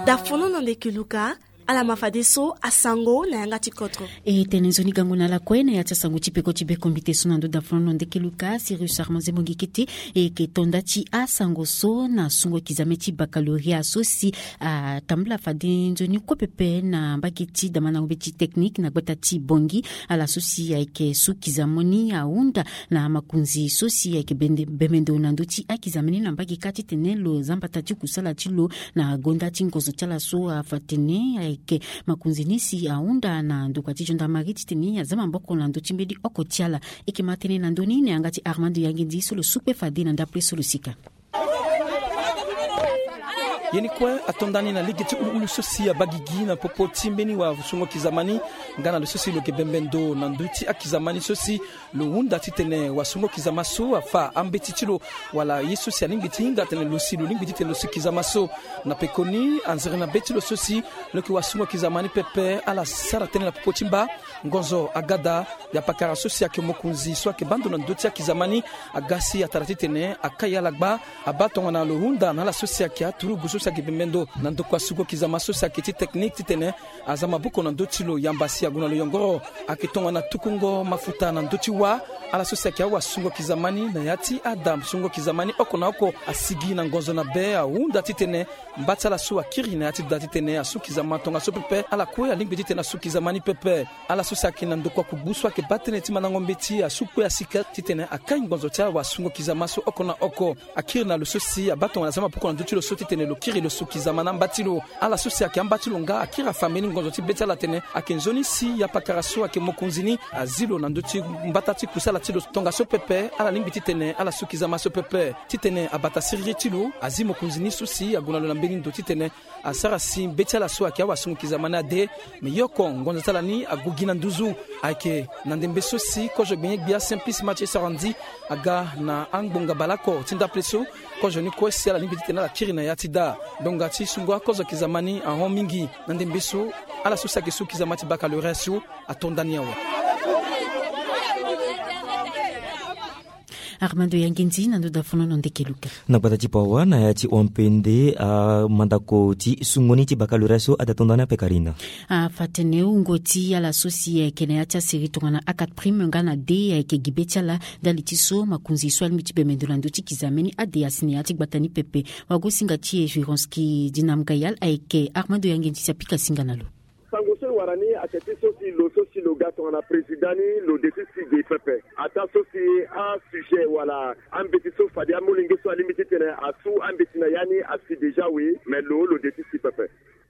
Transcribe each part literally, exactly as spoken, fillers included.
Dafono na ndeke luka. Ala ma fadeso asango na yanga ti kotro. E tene nzoni gango na ala kue na ya ti asango ti peko ti bekombite so na ndo dafono na ndeke luka Sirius Armand Zembongi Kete. E yeke tonda ti asango so na sungo kizame ti bakaloria so si atambula fade nzoni kue pepe na mbage ti damandango be ti teknike na gbata ti Bongi. Ala so si ayeke su kizame ni ahunda na makonzi so si ayeke bembe ndo na ndö ti akizame ni na mbage kâ titene lo za mbata ti kusala ti lo na gonda ti ngonzo ti ala so afa tene ayeke makonzi ni si ahunda na ndokua ti gendarmerie titene aza maboko na ndö ti mbeni oko ti ala. E yeke ma tënë na ndö ni na yanga ti Armando Yangendi so lo su kpe fade na ndapre so lo sika. Ye ni kue ato ndani na lege ti uluulu so si abaa gigi na popo ti mbeni wasungo kizama ni nga na lo so si lo yeke bembe ndo na ndö ti akizama ni so si lo hunda titene wasungo kizama so afa ambeti ti lo wala ye so si alingbi ti hinga atene lo si lo lingbi titene lo su kizama so. Na pekoni anzere na be ti lo so si lo yeke wasungo kizama ni pepe ala sara tënë na popo ti mba. Ngonzo aga daa. Ya pakara so si ayeke mokonzi so ayeke baa ndo na ndö ti akizama ni aga si atara titene akai ala gba. Abaa tongana lo hunda na ala so si ayeke aturugu so si ayeke bembe ndo na ndokua sungo kizama so si ayeke ti teknike titene aza maboko na ndö ti lo yamba si ague na lo yongoro. Ayeke tongana tukungo mafuta na ndö ti wâ. Ala so si ayeke awasungo kizama ni na ya ti ada sungo kizama ni oko na oko asigi na ngonzo na be ahunda titene mba ti ala so akiri na ya ti da titene asu kizama tongaso pepe. Ala kue alingbi titene asu kizama ni pepe. Ala so si ayeke na ndokua kugbu so ayeke baa tënë ti mandango mbeti asu kue asika titene akai ngonzo ti awasungo kizama so oko na oko. Akiri na lo so si abaa tongana aza maboko na ndö ti lo so titene lo kiri lo su kizama na amba ti lo. Ala so si ayeke amba ti lo nga akiri afa mbeni ngonzo ti be ti ala atene ayeke nzoni si ya pakara so ayeke mokonzi ni azi lo na ndö ti mbata ti kusala ti lo tongaso pepe. Ala lingbi titene ala su kizama so pepe titene abata siriri ti lo azi mokonzi ni so si ague na lo na mbeni ndo titene asara si be ti ala so ayeke awasungo kizama ni ade. Me ye oko ngonzo ti ala ni ague gi na nduzu. Ayeke na ndembe so si kozo gbenye-gbia Simplice Mathieu Sarandji aga na angbonga baleoko ti ndapre so. Kozo ni kue si ala lingbi titene ala kiri na ya ti daa. Ndonga ti sungo akozo kizama ni ahon mingi. Na ndembe so ala so si ayeke su kizama ti bakaloria so ato ndani awe. Armando Yangendi na ndo dafono na ndeke luka. Na gbata ti Pawa na ya ti Wampende amandako ti sungo ni ti bakaloria so ade ato ndani ape Karina. Afa tene wungo ti ala so si ayeke na ya ti aseri tongana A quatre prime nga na de ayeke gi be ti ala ndali ti so makonzi so alingbi ti bembe ndo na ndö ti kizame ni ade asi na ya ti gbata ni pepe. Wagosinga ti Evironski Dinam Gayal ayeke Armando Yangendi si apika singa na lo. Sango so e wara ni ayeke ti so si lo so si lo ga tongana président ni lo de ti si ge pepe. Ataa so si asujet wala ambeti so fade amolenge so alingbi titene asu ambeti na ya ni asi déjà we, me lo lo de ti si pepe.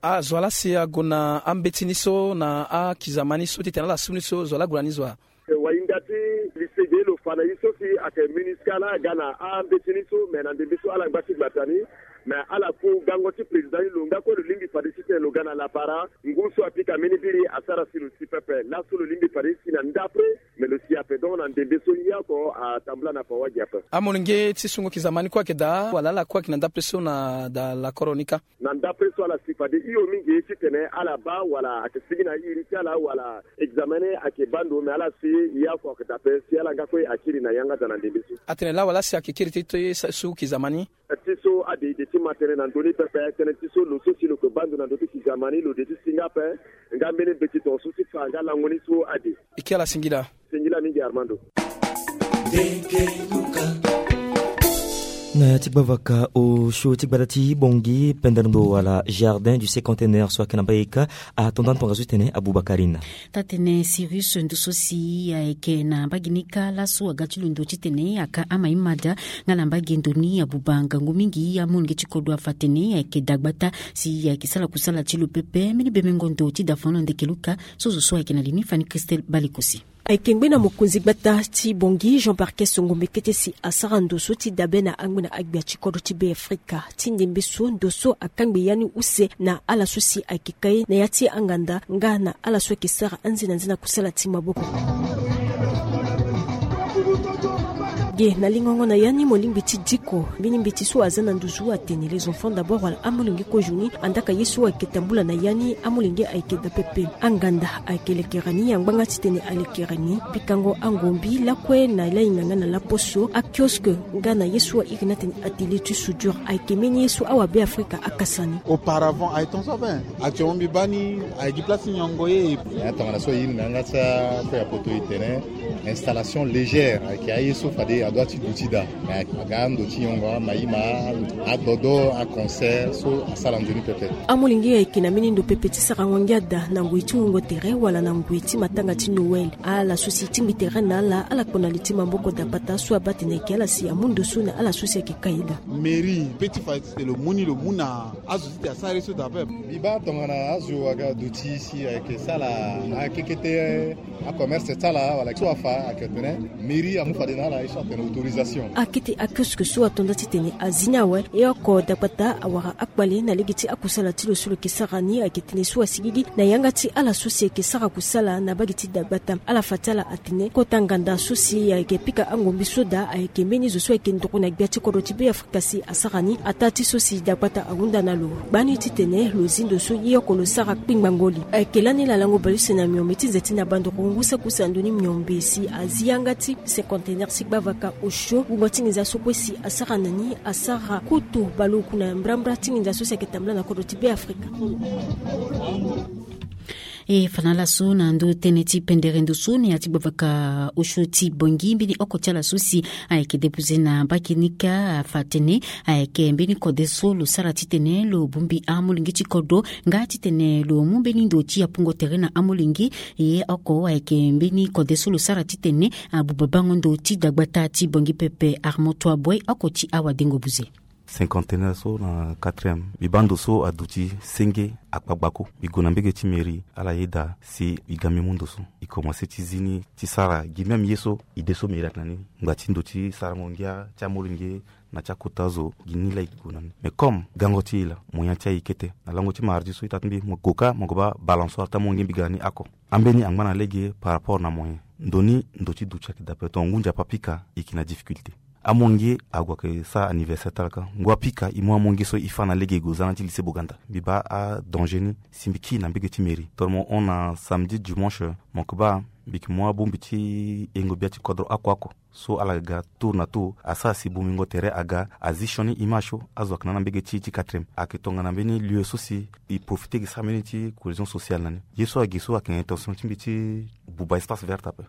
Azo wa laa si ague na ambeti ni so na akizama ni so titene ala su ni so zo wa laa ague na ni zo wa? Wahinda ti lycée ge lo fa na ye so si ayeke MINUSCA laa aga na ambeti ni so, me na ndembe so ala ngba ti gbata ni. Me ala ku gango ti président ni lo nga kue lo lingbi fade titene lo ga na lapara. Ngu so apika mbeni biri asara si lo si pepe. Laso lo lingbi fade si na ndapre, me lo si ape. Donc na ndembe so ye oko atambula na Pawa gi ape. Amolenge ti sungo kizama ni kue ayeke daa wala ala kue ayeke na ndapre so na daa lakoro ni kâ? Na ndapre so ala si fade hio mingi titene ala baa wala ayeke sigi na iri ti ala wala examen ni ayeke baa ndo, me ala si ye oko ayeke daa ape si ala nga kue akiri na yanga daa na ndembe so. Atene laa wala si ayeke kiri ti, ti su kizama ni? Ti so ade e de ti ma tënë na ndö ni pepe. Tënë ti so lo so si lo yeke baa ndo na ndö ti kizama ni lo de ti si nga ape. Nga mbeni mbeti tongaso ti fa nga lango ni so ade. E ke ala singila. Singila mingi Armando. Na ya ti gbavaka osio ti gbata ti Bongi pendere ndo wala jardin du cinquantenaire so ayeke na mbage kâ ato ndani tongaso titene abuba Karina. Taa-tënë Sirius ndo so si ayeke na mbage ni kâ laso aga ti lo ndo titene aka ama ye mada nga na mbage ndo ni abuba ngangu mingi. Amolenge ti kodro afa tene ayeke dagbata si ayeke sara kusala ti lo pepe. Mbeni bemengo ndo ti dafono ndeke luka so zo so ayeke na li ni Fanny Christelle Balekosi. Ayeke ngbe na mokonzi gbata ti Bongi Jean Barquet Songombe Kete si asara ndo so ti dabe na angbe na agbia ti kodro ti Be Afrika. Ti ndembe so ndo so akangbe ya ni use na ala so si ayeke kai na ya ti anganda nga na ala so ayeke sara anze na nze na kusala ti maboko. Ye na lingongo na ya ni, molingbi ti diko mbeni mbeti so aza na nduzu atene les enfants d'abord wala amolenge kozoni andaka ye so ayeke tambula na ya ni, amolenge ayeke daa pepe. Anganda ayeke lekere ni, angbanga titene alekere ni. Bikango angombi lakue na lahinga nga na laposo, akioske nga na ye so airi ni atene atelier ti soudure ayeke mbeni ye so awa Beafrika akasa ni. Auparavant aye tonso ape. Actuellement mbi baa ni aye gi place ti nyongo ye. Ya tongana so aye ni na yanga ti akue ya poto e tene installation légère ayeke aye so fade adoit ti duti daa. Me aga ando ti nyongo ama ye ma adodo aconcert so asara nzoni pepe. Amolenge ayeke na mbeni ndo pepe ti sarango ngia daa na ngoi ti wungo tere wala na ngoi ti matanga ti Noël. Ala so si e tingbi tere na ala, ala kpo na li ti maboko dapata so abaa tene ayeke ala si amu ndo so na ala so si ayeke ka ye daa. Mairie pe ti fa ti tene lo mu ni lo mu na azo ti tene asara ye so daa ape. Mbi baa tongana azo aga duti si ayeke sara akekete acommerce ti ala wala so afa ayeke tene mairie amu fade na ala ye so atene autorisation. Akete akioske so ato nda titene azi ni awe. E oko dapata awara akpale na lege ti akusala ti lo so lo yeke sara ni ayeke tene so asigigi na yanga ti ala so si ayeke sara kusala na bage ti dagbata. Ala fa ti ala atene kota nganda so si ayeke pika angombi so daa ayeke mbeni zo so ayeke nduru na gbia ti kodro ti Beafrika si asara ni ataa ti so si dagbata ahunda na lo. Gbani titene lo zi ndo so ye oko lo sara kpingbango li. Ayeke lani lalango baleuse na miombe ti nze ti na bandoro ngu saki use na ndoni miombe si azi yanga ti cinquantenaire ti gbavaka osio wungo ti nginza so kue si asara na ni asara kutu baleoku na mbrambra ti nginza so si ayeke tambula na kodro ti Beafrika. E fa na ala so na ndö tënë ti pendere ndo so na ya ti gbavaka osio ti Bangui, mbeni oko ti ala so si ayeke depoze na mbage ni kâ afa atene ayeke mbeni kode so lo sara titene lo bongbi amolenge ti kodro nga titene lo mu mbeni ndo ti apungo tere na amolenge. E oko ayeke mbeni kode so lo sara titene abuba bango ndo ti dagbata ti Bangui pepe. Armand Touadéra, oko ti awadengo buze. Cinquantenaire so na quatrième, mbi baa ndo so aduti senge akpa gbako. Mbi gue na mbege ti mairie, ala yeda si mbi ga mbi mu ndo so. E komanse ti zi ni ti sara gi même ye so ide so mairie ayeke na ni, ngba ti ndo ti sarango ngia ti amolenge na ti akota zo, gi ni laa e gue na ni. Mais comme gango ti e laa, moyen ti e aye kete. Na lango ti mardi so ita ti mbi mo gue kâ mo gue baa balançoire ti amolenge mbi ga na ni oko. Ambeni angba na lege par rapport na moyen. Ndo ni ndo ti duti ayeke daa ape, tongana ngu nzapa apika e yeke na difficulté. Amolenge ague ayeke sara anniversaire ti ala kâ. Ngu apika e mu amolenge so e fâ na lege e gue za na ti lycée Boganda. Mbi baa adanger ni si mbi kiri na mbege ti mairie. Tongana mo hon na samedi, dimanche, mo yeke baa mbi yeke mu abongbi ti yengo gbia ti kodro oko oko so ala ga tour na tour, asara si bongbingo tere aga azi sioni image so azo ayeke na ni na mbege ti e ti quatrième. Ayeke tongana mbeni lieu so si e profiter e sara mbeni ti cohésion sociale na ni. Ye so agi so ayeke na intention ti mbi ti buba espace vert ape.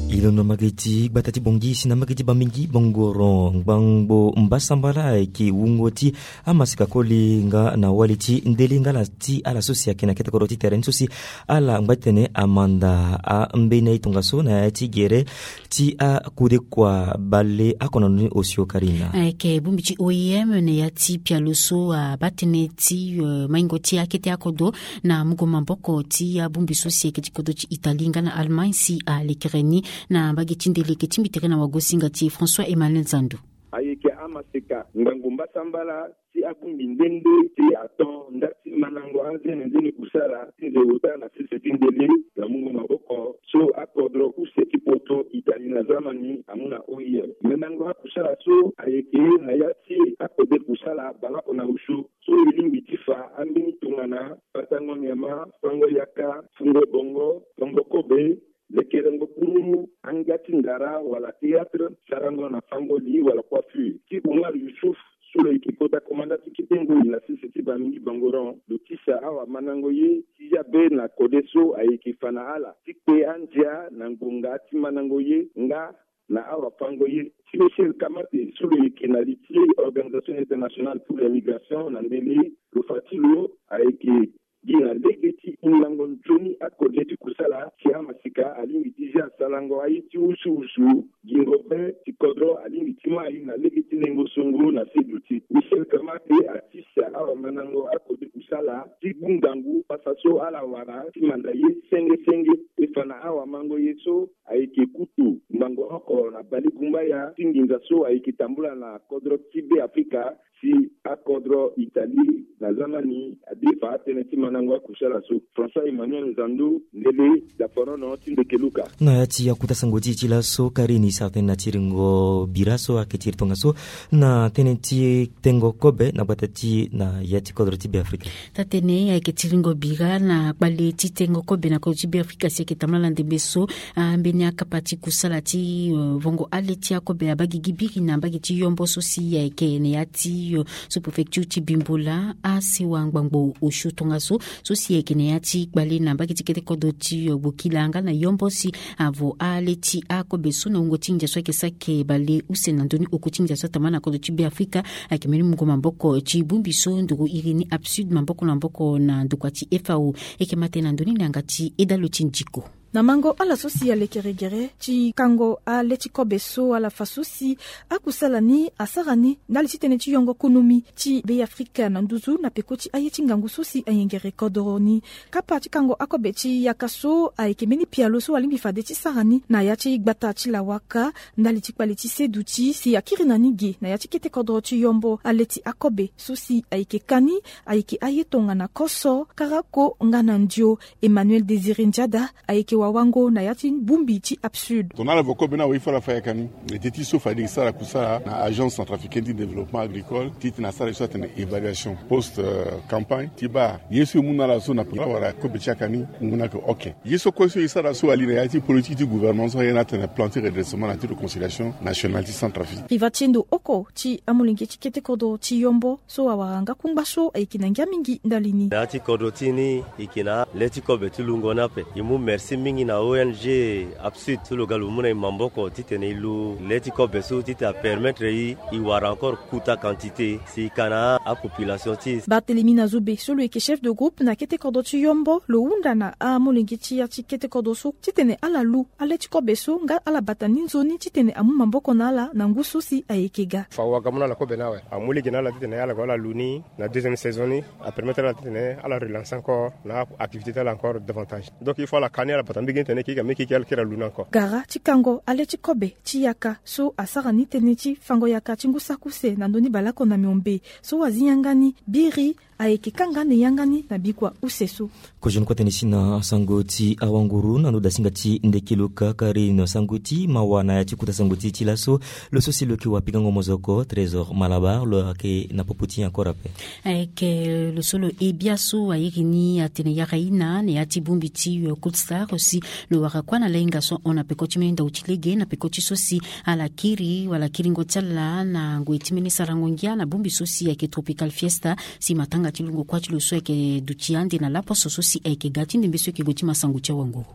E londo na mbage ti gbata ti Bangui si na mbage ti Bamingui Bangoron, ngbangbo mbasambala ayeke wungo ti amaseka koli nga na wali ti ndele nga na ti ala so si ayeke na kete kodro ti tere ni so si ala ngba ti tene amanda ambeni aye tongaso na ya ti gere ti akudekua bale oko na ndoni osio Karina. Ayeke bongbi ti O I M na ya ti pialo so abaa tënë ti, eh, maingo ti akete akodro na mungo maboko ti abongbi so si ayeke ti kodro ti Italie nga na Allemagne si alekere ni na mbage ti ndele. Yeke tingbi tere na wagosinga ti e François Emmanuel Zandu. Ayeke amaseka ngbangbo mbasambala ti abongbi nde nde ti ato nda ti mandango anzene nzene kusala ti nze ota na sese ti ndele na mungo maboko so akodro use ti poto Italie na Zamani amu na O I M. Mandango akusala so ayeke na ya ti akode kusala baleoko na osio so e lingbi ti fa ambeni tongana batango nyama, fango yaka, fungo bongo, fango kobe, lekerengo kururu, anga ti ndara wala théâtre, sarango na fango li wala coiffure. Ti Omar Youssouf so lo yeke kota komanda ti kete ngoi na sese ti Bamingui Bangoron, lo tisa awamandango ye ti ya be na kode so ayeke fa na ala ti kpe andia na ngonga ti mandango ye nga na awafango ye. Ti Michel Kamate so lo yeke na li ti Organisation Internationale pour les Migrations na ndele, lo fa ti lo ayeke gi na lege ti hingango nzoni akode ti kusala si amaseka alingbi ti zia sarango aye ti wusuwusu. Gingo be ti kodro alingbi ti mai na lege ti lengo songo na se duti. Michel Kamate atisa awamandango akode kusala ti gbu ngangu pasa so ala wara ti manda ye senge senge. E Tongana awamango ye so ayeke kutu ngbangbo oko na balegumbaya ti nginza so ayeke tambula na kodro ti Be Afrika, si akodro Italie na zama ni adefa atënë ti mandango akusala so. François Emmanuel Nzandu, ndele daponono ti Ndekeluka. Na ya ti akuta sango ti e ti laso, Karine, sara tënë na tiringo bira so ayeke tiri tongaso na tënë ti tengo kobe na gbata ti e na ya ti kodro ti Be Afrika. Taa-tënë ayeke tiringo bira na kpale ti tengo kobe na kodro ti Be Afrika si ayeke tambula na ndembe so, ah, mbeni akapa ti kusala ti, euh, vongo ale ti akobe abaa gigi biri na mbage ti Yombo so si ayeke na ya ti, euh, sous-préfecture ti Bimboula, asewa ngbangbo osio tongaso, so si ayeke na ya ti kpale na mbage ti kete kodro ti, euh, Bokila nga na Yombo si avo ale ti akobe so na wungo ti nginza so ayeke sara eke bale use na ndö ni oko ti nginza so atambula na kodro ti Be Afrika, ayeke mbeni mungo maboko ti bongbi so nduru iri ni APSUD maboko na maboko na ndokua ti F A O. E yeke ma tënë na ndö ni na yanga ti Edalo ti Ndiko. Na mango ala so si alekere gere ti kango ale ti kobe so ala fa so si akusala ni asara ni ndali ti tënë ti yongo konomi ti Be Afrika na nduzu na peko ti aye ti ngangu so si ayengere kodoro ni. Kapa ti kango akobe ti yaka so ayeke mbeni pialo so alingbi fade ti sara ni na ya ti gbata ti Lawaka ndali ti kpale ti Seduti si akiri na ni ge na ya ti kete kodoro ti Yombo. Ale ti akobe so si ayeke ka ni ayeke aye tongana Koso, Karako nga na Ndio. Emmanuel Désiré Ndiada ayeke wawango na ya ti bongbi ti APSUD. Tongana ala vo kobe ni awe, il faut ala fa yaka ni. Ete ti so fade e sara kusala na Agence Centrafricaine du Développement Agricole, titene asara ye so atene évaluation post, euh, campagne ti baa ye so e mu na ala so na wala kobe ti yaka ni ngu na yeke. Ok, ye so kue so e sara so ali na ya ti politique ti gouvernement so aye ni atene plan ti redressement na ti réconciliation nationale ti Centrafrique. Riva ti endo oko ti amolenge ti kete kodro ti Yombo so awara nga kungba so ayeke na ngia mingi ndali ni. Na ya ti kodro ti e ni, e yeke na le ti kobe ti lungo ni ape. E mu merci mingi na O N G APSUD so lo ga lo mu na e maboko titene e lu le ti kobe so titene apermettre e, e wara encore kuta quantité si e ka na apopulation ti e. Barthélemy Nazobe so lo yeke chef de groupe na kete kodro ti Yombo, lo hunda na amolenge ti ya ti kete kodro so titene ala lu ale ti kobe so nga ala bata ni nzoni titene amu maboko na ala na ngu so si ayeke ga. Fa waka mu na ala kobe ni awe, amu lege na ala titene ala gue ala lu ni na deuxième saison ni, apermettre ala titene ala relancer encore na activité ti ala encore davantage. Donc il faut ala ka ni, ala bata mbage ni titene e ke, e ke, e ke, ala kiri ala lu ni encore. Gara ti kango ale ti kobe ti yaka so asara ni tënë ti fango yaka ti ngu saki use na ndö ni baleoko na miombe so azi yanga ni biri ayeke kanga ande yanga ni na bikua use so. Kozoni kue tënë si na sango ti awanguru na ndo dasinga ti Ndekeluka. Karine, sango ti mawa na ya ti kota sango ti e ti laso, lo so si lo yeke wapikango mozoko, Trésor Malabar, lo yeke na popo ti e encore ape. Ayeke lo so lo he biaso airi ni atene yara ina na ya ti bongbi ti, euh, Cold Star si lo wara kuâ na lahinga so ahon na peko ti mbeni ndau ti lege na peko ti so si ala kiri wala kiringo ti ala na ngoi ti mbeni sarango ngia na bongbi so si ayeke Tropical Fiesta, si matanga ti lungo kuâ ti lo so ayeke duti ande na laposo so si ayeke ga ti ndembe so e yeke gue ti masango ti awanguru.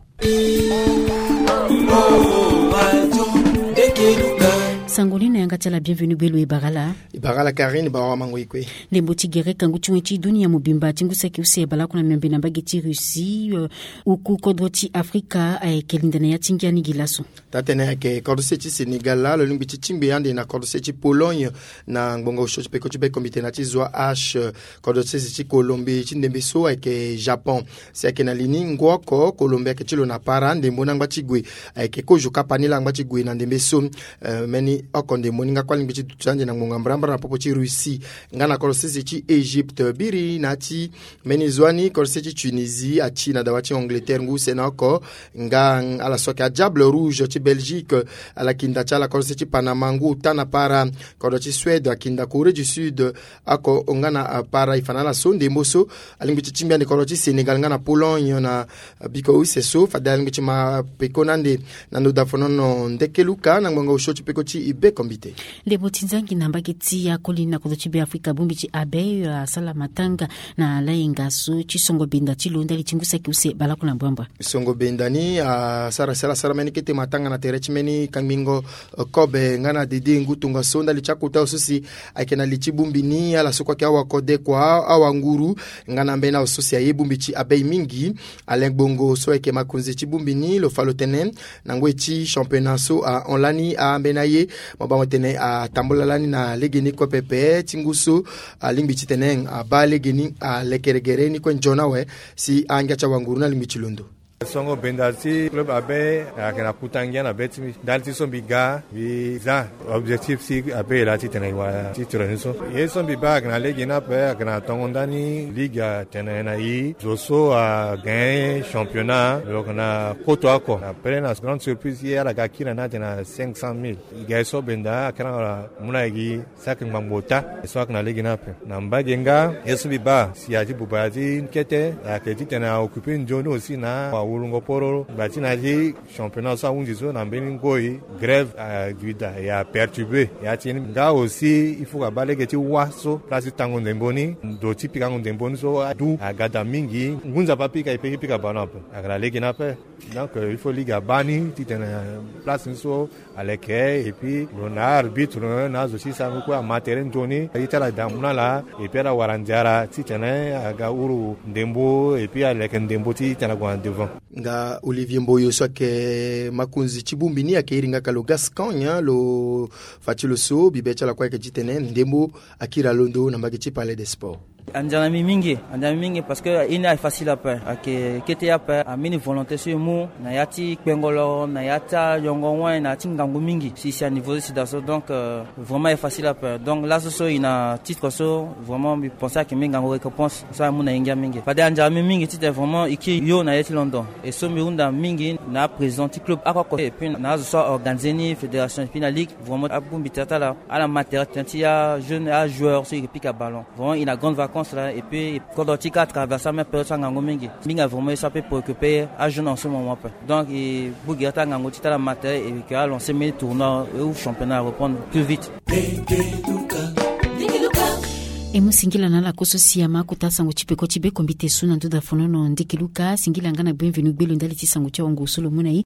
Sango ni na yanga ti ala Bienvenu Belo, e bara ala. E bara ala Karine, bara wamango e kue. Ndembo ti gere kangu ti wen ti dunia mobimba ti ngu saki use baleoko na miombe na mbage ti Russie, euh, oku kodro ti Afrika ayeke linda na ya ti ngia ni gi laso. Taa-tënë ayeke kodro sese ti Sénégal laa lo lingbi ti tingbi ande na kodro sese ti Pologne na ngbonga osio ti peko ti be comité na ti zwa H, kodro sese ti Colombie ti ndembe so ayeke Japon. Si ayeke na li ni ngu oko Colombie ayeke ti lo na para ndembo ni angba ti gue. Ayeke kozo kapa ni laa angba ti gue na ndembe so. Eh, mbeni oko ndembo ni nga kue alingbi ti duti ande na ngbonga mbrambra na popo ti Russie nga na kodro sese ti Égypte. Biri na ya ti mbeni zo wa ni kodro sese ti Tunisie ati na dawa ti Angleterre ngu use na oko nga ala so ayeke a Diable Rouge ti Belgique. Ala yeke nda ti ala kodro sese ti Panama ngu ota na para. Kodro ti Suède ayeke nda Corée du Sud oko nga na, ah, para. E fa na ala so ndembo so alingbi ti tingbi ande kodro ti Sénégal nga na Pologne na, ah, biko use so fade alingbi ti ma peko na ande na ndo dafonono ndeke luka na ngbonga osio ti peko ti e be kombite. Ndembo ti nzangi na mbage ti akoli na kodro ti Be Afrika bongbi ti Abeille, ah, asala matanga na layenga so ti songo benda ti lo ndali ti ngu saki use baleoko na mbrambra. Songo benda ni, ah, asara si ala sara mbeni kete matanga na tere ti mbeni kangbingo, eh, kobe nga na dede ngu tongaso ndali ti akota so si ayeke na li ti bongbi ni ala so kue ayeke awakodekua, awanguru nga na ambeni azo so si aye bongbi ti Abeille mingi. Alain Gbongo so ayeke makonzi ti bongbi ni lo fa lo tene na ngoi ti championnat so ahon lani ambeni aye, mo bango tene atambula lani na legeni kue pepe ti ngu so alingbi titene abaa legeni alekere gere ni kue nzoni awe si angia ti awanguru ni alingbi ti londo. Songo benda ti club abe ayeke na kuta ngia na be ti mbi. Ndali ti so mbi ga mbi za objectif ti abe e laa titene e wara titre ni so. Ye so mbi baa ayeke na lege ni ape ayeke na tongo ndani ligue atene na e zo so agagne championnat lo yeke na koto oko. Après na grande surprise ye ala ga kiri na ni atene na cinq cent mille. E ga ye so benda akiri na ala mu na e gi saki ngbangbo ota. E so ayeke na lege ni ape na mbage nga ye so mbi baa si a ti buba ya ti kete ayeke titene a occupe nzoni aussi na awulungo poro ngba ti na ya ti championnat so ahunzi so na mbeni ngoi grève aduida e aperturbe ya ti ni nga aussi il faut ka baa lege ti wâ so place ti tango ndembo ni ndo ti pikango ndembo ni so adu aga daa mingi ngu nzapa pika e peki pika ballon ape. Ayeke na lege ni ape. Donc il faut ligue abaa ni titene place ni so aleke et puis lo na arbitre na azo ti sarango kue ama tere nzoni ye ti ala daa mu na ala et puis ala wara nziara titene aga huru ndembo et puis aleke ndembo titene ague na devant. Nga Olivier Mboyo so ayeke makonzi ti bongbi ni ayeke iri nga ka lo Gascogne lo fa ti lo so bibe ti ala kue ayeke titene ndembo akiri alondo na mbage ti Palais des Sports. Andia na mbi mingi, andia na mbi mingi parce que e ni aye facile ape. Ayeke kete ye ape, ambeni volonté so e mu na ya ti kpengolo na ya ti ayongo win na ya ti ngangu mingi si si aniveau so si daa so donc vraiment aye facile ape. Donc laso so e na titre so vraiment mbi pense ayeke mbeni ngangu récompense so amu na e ngia mingi. Fade andia na mbi mingi titene vraiment e kiri yo na ye ti london. E so mbi hunda mingi na aprésident ti club oko oko et puis na azo so aorganize ni fédération et puis na ligue vraiment abongbi tere ti ala ala ma tere tënë ti ajeune ajoueur so e yeke pika ballon. Vraiment e na grande vacance la et puis kodro ti ka atraverse amême période so angangu mingi. Mingi vraiment e so ape préoccupé ajeune en ce moment ape. Donc e bougira ti angangu ti tala matin et que a lancer mbeni tournoi ou championnat à reprendre plus vite. E mu singila na ala koso si ama akota sango ti peko ti be kombi te su na nduda fonono ndiki luka singila nga na bienvenu gbelo ndali ti sango ti awango so lo mu na e.